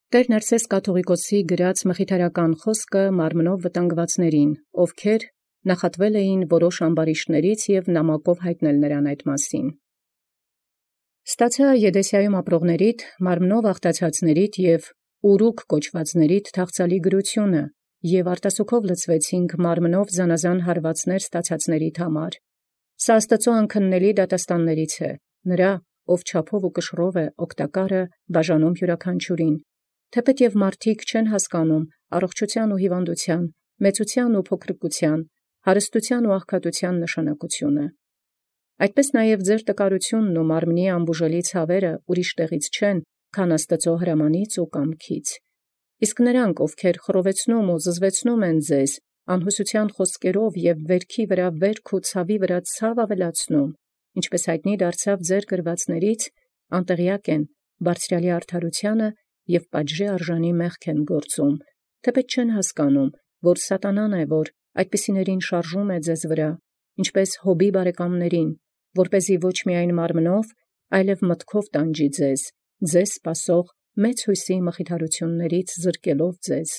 Տեր Ներսես կաթուղիկոսի գրած մխիթարական խոսքը մարմնով վտանգվածներին, ովքեր նախատվել էին որոշ ամբարիշտներից և նամակով յայտնել նրան այդ մասին։ Ստացա Եդեսիայում ապրողներիդ, մարմնով աղտացածներիդ և ուռուկ կոչվածներիդ թախծալի գրությունը, և արտասուքով լցվեցինք մարմնով զանազան հարվածներ ստացածներիդ համար։ Սա Աստուծոյ անքննելի դատաստաններից է, նրա, ով չափով ու կշռով է օգտակարը բաժանում յուրաքանչյուրին, թեպետ և մարդիկ չեն հասկանում առողջութեան ու հիվանդութեան, մեծութեան ու փոքրկութեան, հարստութեան ու աղքատութեան նշանակությունը։ Այդպես նաև ձեր տկարութիւնն ու մարմնի ամբուժելի ցաւերը ուրիշ տեղից չեն, քան Աստուծոյ հրամանից ու կամքից։ Իսկ նրանք, ովքեր խռովեցնում ու զզվեցնում են ձեզ անհուսութեան խոսքերով և վերքի վրա վերք ու ցավի վրա ցավ ավելացնում, ինչպէս յայտնի դարձավ ձեր գրվածներից, անտեղեակ են բարձրյալի արդարութեանը և պատժի արժանի մեղք են գործում, թեպետ չեն հասկանում, որ սատանան է, որ այդպիսիներին շարժում է ձեզ վրա, ինչպէս Յոբի բարեկամներին, որպեսզի ոչ միայն մարմնով, այլև մտքով տանջի ձեզ սպասող մեծ յուսոյի մխիթարութիւններից զրկելով ձեզ։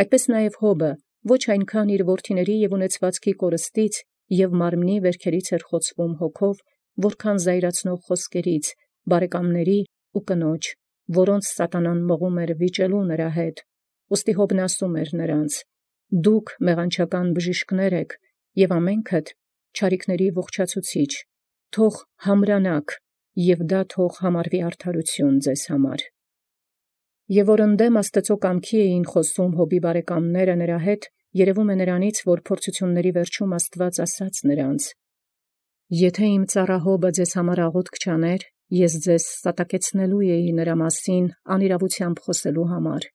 Այդպես նաև Յոբը ոչ այնքան իր որդիների և ունեցվածքի կորստից և մարմնի վերքերից էր խոցվում հոգով, որքան զայրացնող խոսքերից, բարեկամների ու կնոջ, որոնց սատանան մղում էր վիճելու նրա հետ։ Ուստի Յոբն ասում էր նրանց. «Դուք մեղանչական բժիշկներ եք, և ամենքդ չարիքների ողջացուցիչ. թող համրանաք, և դա թող համարվի արդարութիւն ձեզ համար»։ Եւ որ ընդդեմ Աստուծոյ կամքի էին խոսում Յոբի բարեկամները նրա հետ, երևում է նրանից, որ փորձութիւնների վերջում Աստուած ասաց նրանց. «Եթէ իմ ծառայ Յոբը ձեզ համար աղոթք չաներ, ես ձեզ սատակեցնելու էի նրա մասին անիրաւութեամբ խոսելու համար։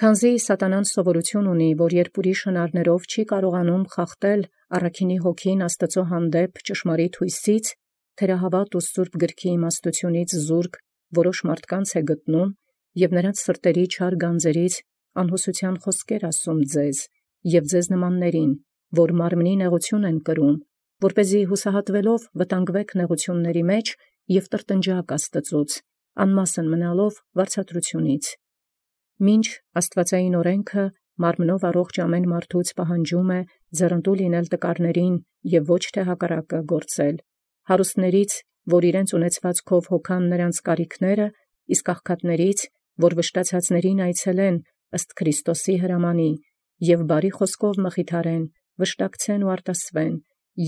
Քանզի սատանան սովորութիւն ունի, որ երբ ուրիշ հնարներով չի կարողանում խախտել առաքինի հոգին Աստուծոյ հանդեպ ճշմարիտ յույսից, թերահաւատ ու սուրբ գրքի իմաստութիւնից զուրկ որոշ մարդկանց է գտնում և նրանց սրտերի չար գանձերից անհուսութեան խոսքեր ասում ձեզ և ձեզ նմաններին, որ մարմնի նեղութիւն են կրում, որպեսզի յուսահատվելով վտանգվեք նեղութիւնացն մեջ և տրտնջաք Աստուծոյց, անմասն մնալով վարձատրութիւնից։ Մինչ աստուածային օրենքը մարմնով առողջ ամեն մարդուց պահանջում է ձեռնտու լինել տկարներին և ոչ թե հակառակը գործել, հարուստներից, որ իրենց ունեցվածքով հոգան նրանց կարիքները, իսկ աղքատներից, որ վշտացածներին այցելեն ըստ Քրիստոսի հրամանի, և բարի խոսքով մխիթարեն, վշտակցեն ու արտասուեն,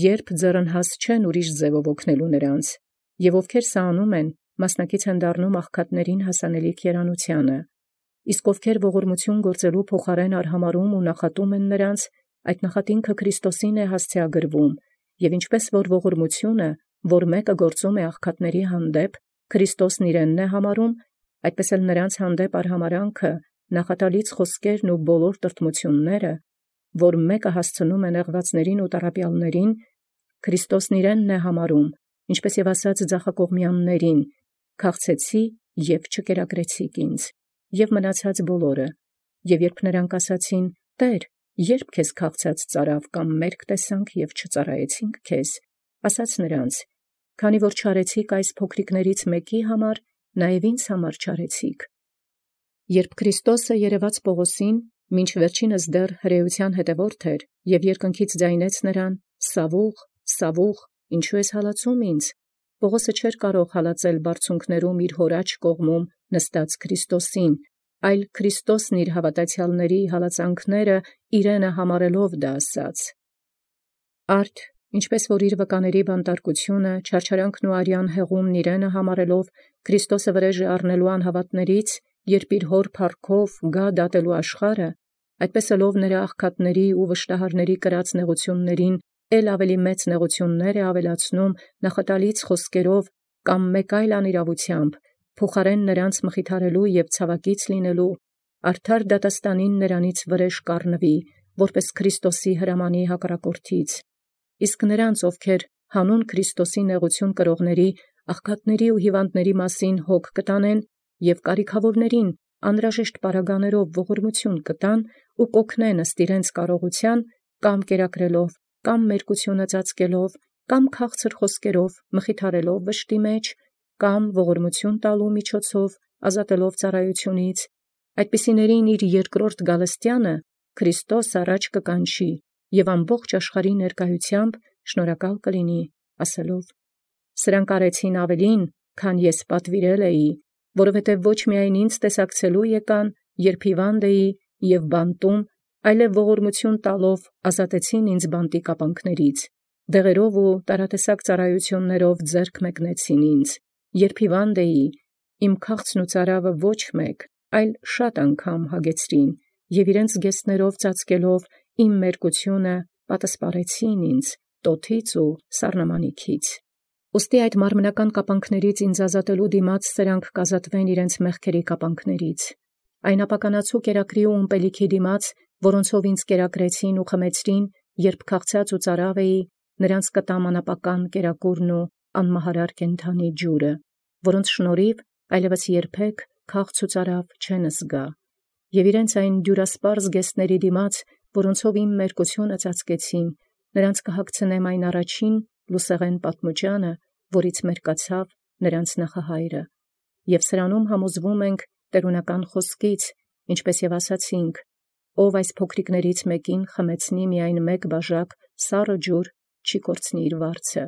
երբ ձեռնհաս չեն ուրիշ ձևով օգնելու նրանց, և ովքեր սա անում են, մասնակից են դառնում աղքատներին հասանելիք երանութեանը, իսկ ովքեր ողորմութիւն գործելու փոխարեն արհամարհում ու նախատում են նրանց, այդ նախատինքը Քրիստոսին է հասցեագրվում, և ինչպես որ ողորմութիւնը, որ մեկը գործում է աղքատների հանդեպ, Քրիստոսն իրենն է համարում, այդպես էլ նրանց հանդեպ արհամարհանքը, նախատալից խոսքերն ու բոլոր տրտմութիւնները, որ մեկը հասցնում է նեղվածներին ու տառապյալներին, Քրիստոսն իրենն է համարում, ինչպես և ասաց ձախակողմեաններին. «Քաղցեցի և չկերակրեցիք ինձ», և մնացած բոլորը։ Եւ երբ նրանք ասացին. «Տէր, ե՞րբ քեզ քաղցած ծարավ կամ մերկ տեսանք և չծառայեցինք քեզ», ասաց նրանց. «Քանի որ չարեցիք այս փոքրիկներից մեկի համար, նաև ինձ համար չարեցիք»։ Երբ Քրիստոսը երևաց Պողոսին, մինչ վերջինս դեռ հրեության հետևորդ էր, և երկնքից ձայնեց նրան. «Սավուղ, Սավուղ, ինչու ես հալածում ինձ», Պողոսը չէր կարող հալածել բարձունքներում իր հոր աջ կողմում նստած Քրիստոսին, այլ Քրիստոսն իր հաւատացեալների հալածանքները իրենը համարելով դա ասաց։ Արդ ինչպես որ իր վկաների բանտարկությունը, չարչարանքն ու արյան հեղումն իրենը համարելով Քրիստոսը վրեժը առնելու անհավատներից, երբ իր հոր փառքով գա դատելու աշխարհը, այդպես ըլով նրա աղքատների ու վշտահարների կրած նեղութիւններին էլ ավելի մեծ նեղութիւններ է ավելացնում նախատալից խոսքերով կամ մեկ այլ անիրաւութեամբ, փոխարեն նրանց մխիթարելու և ցավակից լինելու, արդար դատաստանին նրանից վրեժ կառնվի, որպես Քրիստոսի հրամանի հակառակորդից։ Իսկ նրանց, ովքեր հանուն Քրիստոսի նեղութիւն կրողների, աղքատների ու հիվանդների մասին հոգ կտանեն և կարիքավորներին անհրաժեշտ պարագաներով ողորմութիւն կտան ու կօգնեն ըստ իրենց կարողութեան, կամ կերակրելով, կամ մերկութիւնը ծածկելով, կամ քաղցր խոսքերով մխիթարելով վշտի մեջ, կամ ողորմութիւն տալու միջոցով ազատելով ծառայությունից, այդպիսիներին իր երկրորդ գալստյանը Քրիստոս առաջ կկանչի և ամբողջ աշխարհի ներկայությամբ շնորհակալ կլինի, ասելով. «Սրանք արեցին ավելին, քան ես պատվիրել էի, որովհետև ոչ միայն ինձ տեսակցելու եկան, երբ հիվանդ էի և բանտում, այլև ողորմություն տալով ազատեցին ինձ բանտի կապանքներից, դեղերով ու տարատեսակ ծառայություններով ձեռք մեկնեցին ինձ, երբ հիվանդ էի, իմ քաղցն ու ծարավը ոչ մեկ, այլ շատ անգամ հագեցրին, և իրենց գեստներով ծածկելով իմ մերկությունը պատասպարեցին ինձ տոթից ու սառնամանիքից։ Ուստի այդ մարմնական կապանքներից ինձ ազատելու դիմաց սրանք կազատվեն իրենց մեղքերի կապանքներից։ Այն ապականացու կերակրի ու ըմպելիքի դիմաց, որոնցով ինձ կերակրեցին ու խմեցրին, երբ քաղցած ու ծարավ էի, նրանց կտամ անապական կերակուրն ու անմահարար կենդանի ջուրը, որոնց շնորհիվ այլևս երբեք քաղց ու ծարավ չեն զգա, և իրենց այն դյուրասպառ զգեստների դիմաց, որոնցով իմ մերկությունը ծածկեցին, նրանց կհագցնեմ այն առաջին լուսեղեն պատմուճանը, որից մերկացավ նրանց նախահայրը, և սրանում համոզվում ենք տերունական խոսքից, ինչպես և ասացինք. ով այս փոքրիկներից մեկին խմեցնի միայն մեկ բաժակ սառը ջուր, չի կորցնի իր վարձը։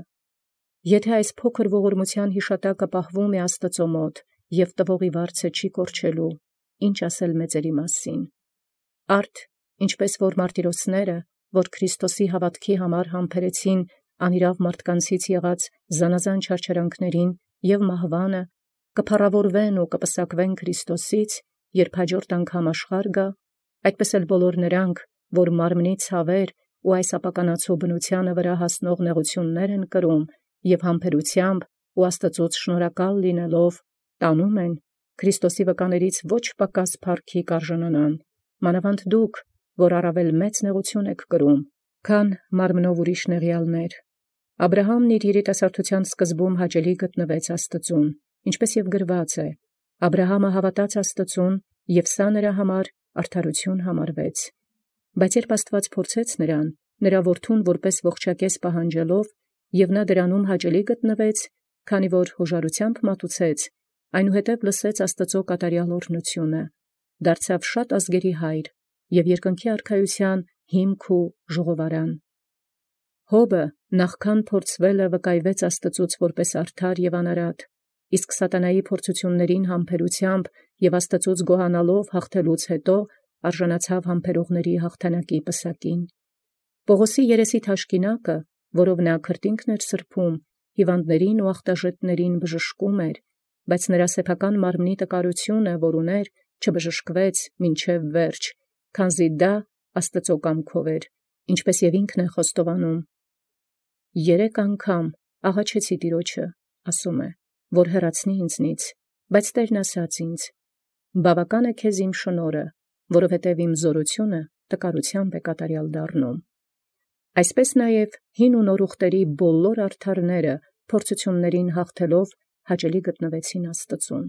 Եթե այս փոքր ողորմության հիշատակը պահվում է Աստծո մոտ, և տվողի վարձը չի կորչելու, ինչ ասել մեծերի մասին։ Արդ, ինչպես որ մարտիրոսները, որ Քրիստոսի հավատքի համար համբերեցին անիրավ մարդկանցից եղած զանազան չարչարանքներին և մահվանը, կփառավորվեն ու կպսակվեն Քրիստոսից, երբ հաջորդ անգամ աշխարհ գա, այդպես էլ բոլոր նրանք, որ մարմնի ցավեր ու այս ապականացու բնությանը վրա հասնող նեղություններ են կրում և համբերությամբ ու Աստծոց շնորհակալ լինելով տանում են, Քրիստոսի վկաներից ոչ պակաս փառքի կարժանանան, մանավանդ դուք, որ առավել մեծ նեղություն եք կրում, քան մարմնով ուրիշ նեղյալներ։ Աբրահամն իր երիտասարդության սկզբում հաճելի գտնվեց Աստծուն, ինչպես և գրված է. Աբրահամը հավատաց Աստծուն, և սա նրա համար արդարություն համարվեց։ Բայց երբ Աստված փորձեց նրան, նրա որդուն որպես ողջակեզ պահանջելով, և նա դրանում հաճելի գտնվեց, քանի որ հոժարությամբ մատուցեց, այնուհետև լսեց Աստծո կատարյալ օրհնությունը, դարձավ շատ ազգերի հայր և երկնքի արքայության հիմք ու ժողովարան։ Հոբը նախքան փորձվելը վկայվեց Աստծուց որպես արդար և անարատ, իսկ սատանայի փորձություններին համբերությամբ և Աստծուց գոհանալով հաղթելուց հետո արժանացավ համբերողների հաղթանակի պսակին։ Պողոսի երեսի թաշկինակը, որով նա քրտինքն էր սրբում, հիվանդներին ու ախտաժետներին բժշկում էր, բայց նրա սեփական մարմնի տկարությունը, որ ուներ, չբժշկվեց մինչև վերջ, քանզի դա Աստծո կամքով էր, ինչպես և ինքն է խոստովանում. «Երեք անգամ աղաչեցի Տիրոջը, ասում է, որ հեռացնի ինձնից, բայց Տերն ասաց ինձ. բավական է քեզ իմ շնորհը, որովհետև իմ զորությունը տկարությամբ է կատարյալ դառնում»։ Այսպես նաև հին ու նոր ուխտերի բոլոր արդարները փորձություններին հաղթելով հաճելի գտնվեցին Աստծուն։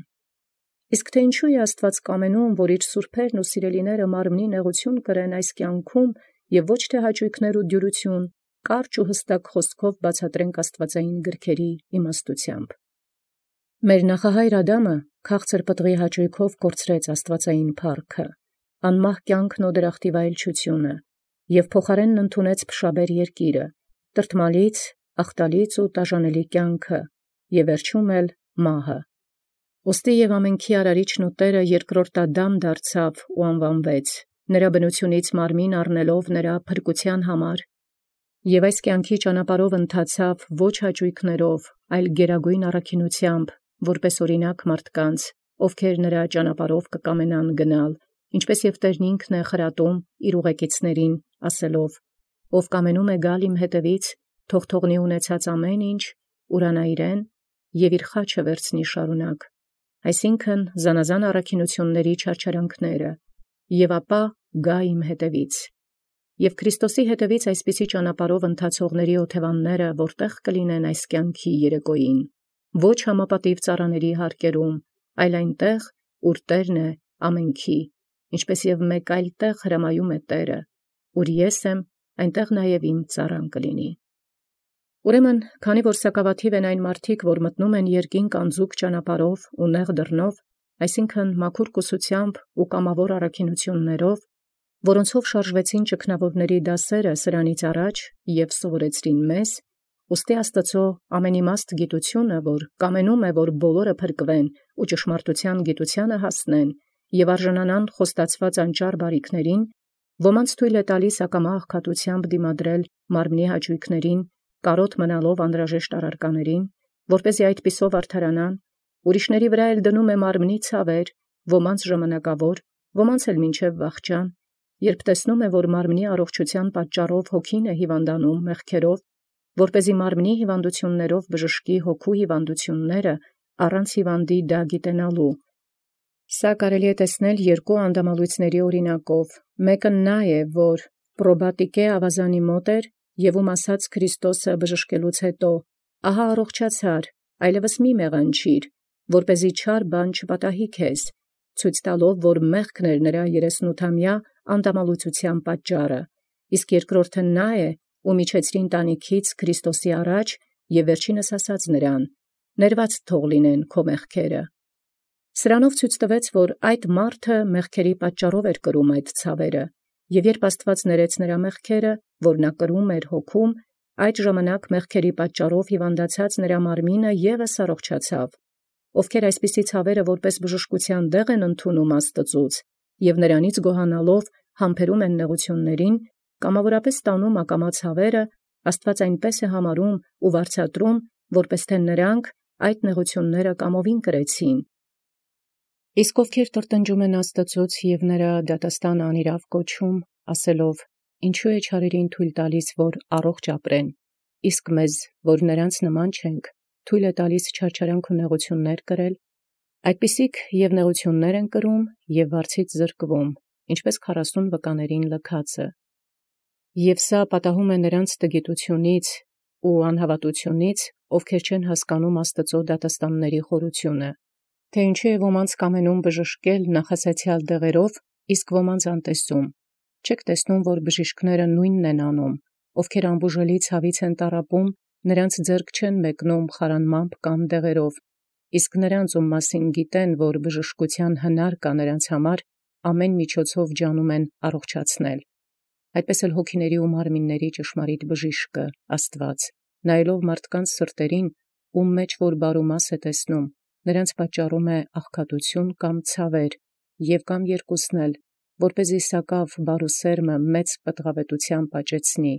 Իսկ թե ինչու է Աստված կամենում, որ իր սուրբերն ու սիրելիները մարմնի նեղություն կրեն այս կյանքում և ոչ թե հաճույքներ ու դյուրություն, կարճ ու հստակ խոսքով բացատրենք աստվածային գրքերի իմաստությամբ։ Մեր նախահայր Ադամը քաղցր պտղի հաճույքով կորցրեց աստվածային փառքը, անմահ կյանքն ու դրախտի վայելչությունը, և փոխարենն ընդունեց փշաբեր երկիրը, տրտմալից, ախտալից ու տաժանելի կյանքը, և վերջում էլ մահը։ Ուստի և ամենքի արարիչն ու Տերը երկրորդ Ադամ դարձավ ու անվանվեց, նրա բնությունից մարմին առնելով նրա փրկության համար, և այս կյանքի ճանապարհով ընթացավ ոչ հաճույքներով, այլ գերագույն առաքինությամբ, որպես օրինակ մարդկանց, ովքեր նրա ճանապարհով կկամենան գնալ, ինչպես և Տերն ինքն է խրատում իր ուղեկիցներին, ասելով. «Ով կամենում է գալ իմ հետևից, թող թողնի ունեցած ամեն ինչ, ուրանա իրեն և իր խաչը վերցնի շարունակ», այսինքն զանազան առաքինությունների չարչարանքները, և ապա գա իմ հետևից։ Եվ Քրիստոսի հետևից այսպիսի ճանապարհով ընթացողների օթևանները որտեղ կլինեն այս կյանքի երեկոյին, ոչ համապատիվ ծառաների հարկերում, այլ այնտեղ, ուր Տերն է ամենքի, ինչպես և մեկ այլ տեղ հրամայում է Տերը, ուր ես եմ, այնտեղ նաև իմ ծառան կլինի։ Ուրեմն, քանի որ սակավաթիվ են այն մարդիկ, որ մտնում են երկինք անձուկ ճանապարհով ու նեղ դռնով, այսինքն մաքուր կուսությամբ ու կամավոր առաքինութիւններով, որոնցով շարժվեցին ճգնաւորացն դասս սրանից առաջ և սովորեցրին մեզ, ուստի Աստուծոյ ամենիմաստ գիտութիւնը, որ կամենում է, որ բոլորը փրկվեն ու ճշմարտութեան գիտութեանը հասնեն, և արժանանան խոստացված անճառ բարիքներին, ոմանց թույլ է տալիս ակամա աղքատութեամբ դիմադրել մարմնի հաճոյքներին, կարոտ մնալով անհրաժեշտ առարկաներին, որպեսզի այդպիսով արդարանան, ուրիշների վրա էլ դնում է մարմնի ցաւեր, ոմանց ժամանակաւոր, ոմանց էլ մինչև վախճան, երբ տեսնում է, որ մարմնի առողջութեան պատճառով հոգին է հիվանդանում մեղքերով, որպեսզի մարմնի հիվանդութիւններով բժշկի հոգու հիվանդութիւնները առանց հիվանդի դա գիտենալու։ Սա կարելի է տեսնել երկու անդամալույցների օրինակով. մեկը նա է, որ պրոբատիկե ավազանի մոտ էր, և ասաց Քրիստոսը բժշկելուց հետո. «Ահա առողջացար, այլևս մի մեղանչիր, որպեսզի չար բան չպատահի քեզ», ցույց տալով, որ մեղքն էր նրա 38-ամյա անդամալութութեան պատճառը, իսկ երկրորդը նա է, ում իջեցրին տանիքից Քրիստոսի առաջ և վերջինս ասաց նրան. «Ներված թող լինեն քո մեղքերը»։ Սրանով ցույց տվեց, որ այդ մարդը մեղքերի պատճառով էր կրում այդ ցավերը, և երբ Աստուած ներեց նրա մեղքերը, որ նա կրում էր հոգում, այդ ժամանակ մեղքերի պատճառով հիվանդացած նրա մարմինը ևս առողջացավ, ովքեր այսպիսի ցավերը որպես բժշկութեան դեղ են ընդունում Աստծուց, և նրանից գոհանալով համբերում են նեղութիւններին, կամավորապես տանում ակամա ցավերը, Աստուած այնպէս է համարում ու վարձատրում, որպէս թէ նրանք այդ նեղութիւնները կամովին կրեցին։ Իսկ ովքեր տրտնջում են Աստծուց և նրա դատաստան անիրաւ կոչում, ասելով. «Ինչու է չարերին թույլ տալիս, որ առողջ ապրեն, իսկ մեզ, որ նրանց նման չենք, թույլ է տալիս չարչարանք ու նեղութիւններ կրել, այդպիսիք և նեղութիւններ են կրում և վարձից զրկվում, ինչպէս 40 վկաներին լքածը։ Եւ սա պատահում է նրանց տգիտութիւնից ու անհավատութիւնից, ովքեր չեն հասկանում Աստուծոյ դատաստանների խորութիւնը, թե ինչու է ոմանց կամենում բժշկել նախասացեալ դեղերով, իսկ ոմանց անտեսում։ Չեք տեսնում, որ բժիշկները նույնն են անում, ովքեր անբուժելի ցավից են տառապում, նրանց ձեռք չեն մեկնում խարանմամբ կամ դեղերով, իսկ նրանց, ում մասին գիտեն, որ բժշկութեան հնար կա նրանց համար, ամեն միջոցով ջանում են առողջացնել։ Այդպես էլ հոգիների ու մարմինների ճշմարիտ բժիշկը Աստուած, նայելով մարդկանց սրտերին, ում մեջ որ բարումաս է տեսնում, նրանց պատճառում է աղքատութիւն կամ ցավեր, և կամ երկուսն էլ, որպեսզի սակաւ բարուսերմը մեծ պտղավետութեան պատճեցնի։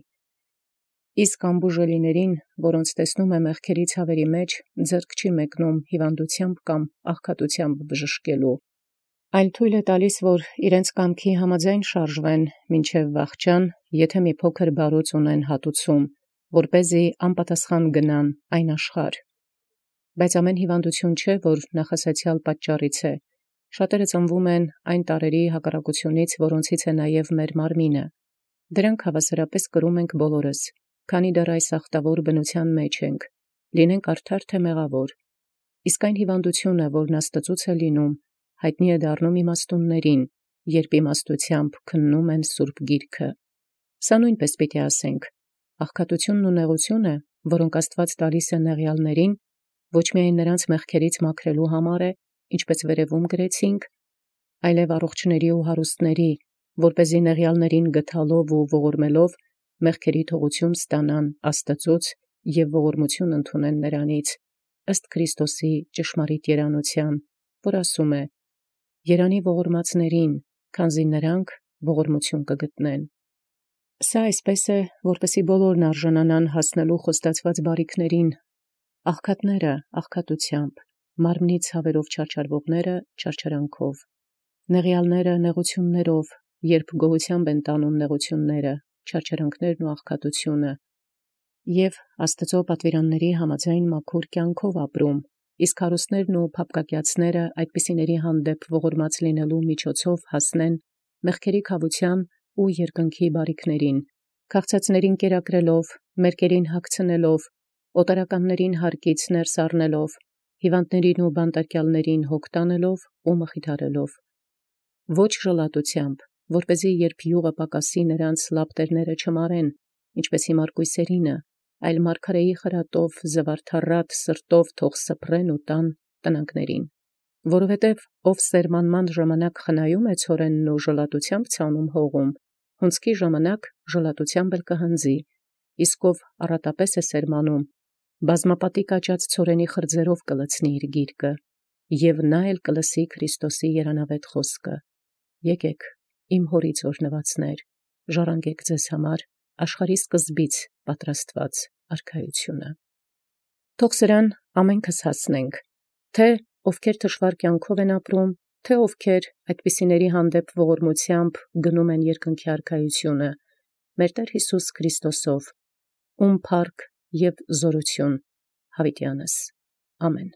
Իսկ անբուժելիներին, որոնց տեսնում է մեղքերի ցավերի մեջ, ձեռք չի մեկնում հիվանդութեամբ կամ աղքատութեամբ բժշկելու, այլ թույլ է տալիս, որ իրենց կամքի համաձայն շարժվեն մինչև վախճան, եթե մի փոքր բարուց ունեն հատուցում, որպեսզի անպատասխան գնան այն աշխարհ։ Բայց ամեն հիվանդություն չէ, որ նախասացեալ պատճառից է։ Շատերը ծնվում են այն տարերի հակառակությունից, որոնցից է նաև մեր մարմինը։ Դրանք հավասարապես կրում ենք բոլորս, քանի դեռ այս ախտավոր բնութեան մեջ ենք, լինենք արդար թե մեղավոր։ Իսկ այն հիվանդությունը, որն Աստծուց է լինում, հայտնի է դառնում իմաստուններին, երբ իմաստութեամբ քննում են Սուրբ Գիրքը։ Սա նույնպես պիտի ասենք. աղքատութիւնն ու նեղութիւնը, որոնք Աստուած տալիս է նեղյալներին, ոչ միայն նրանց մեղքերից մաքրելու համար է, ինչպես վերևում գրեցինք, այլև առողջների ու հարուստների, որպեսզի նեղյալներին գթալով ու ողորմելով մեղքերի թողութիւն ստանան Աստծուց և ողորմություն ընդունեն նրանից, ըստ Քրիստոսի ճշմարիտ երանութեան, որ ասում է. «Երանի ողորմածներին, քանզի նրանք ողորմություն կգտնեն»։ Սա այսպես է, որպեսզի բոլորն արժանանան հասնելու խոստացված բարիքներին, աղքատները աղքատութեամբ, մարմնի ցավերով չարչարվողները չարչարանքով, նեղյալները նեղութիւններով, երբ գոհութեամբ են տանում նեղութիւնները, չարչարանքներն ու աղքատութիւնը, և Աստծոյ պատվիրանների համաձայն մաքուր կյանքով ապրում, իսկ հարուստներն ու փափկակյացները այդպիսիների հանդեպ ողորմած լինելու միջոցով հասնեն մեղքերի քավութեան ու երկնքի բարիքներին, քաղցածներին կերակրելով, մերկերին հագցնելով, օտարականներին հարկից ներս առնելով, հիվանդներին ու բանտարկյալներին հոգ տանելով ու մխիթարելով։ Ոչ ժլատութեամբ, որպեսզի երբ յուղը պակասի նրանց լապտերները չմարեն, ինչպես հիմար կույսերինը, այլ մարգարեի խրատով զվարթառատ սրտով թող սփռեն ու տան տնանքներին։ Որովհետև ով սերմանման ժամանակ խնայում է ցորենն ու ժլատութեամբ ցանում հողում, հունձքի ժամանակ ժլատութեամբ կհանձի, իսկ ով առատապէս է սերմանում, բազմապատիկ աճած ցորենի խրձերով կլցնի իր գիրկը, և նա էլ կլսի Քրիստոսի երանավետ խոսքը. «Եկեք, իմ հորից օրհնվածներ, ժառանգեք ձեզ համար աշխարհի սկզբից պատրաստված արքայությունը»։ Թող սրան ամենքս հասնենք, թե ովքեր թշվառ կյանքով են ապրում, թե ովքեր այդպիսիների հանդեպ ողորմութեամբ գնում են երկնքի արքայությունը, մեր Տեր Յիսուս Քրիստոսով, ում փառք և զորություն յաւիտյանս։ Ամեն։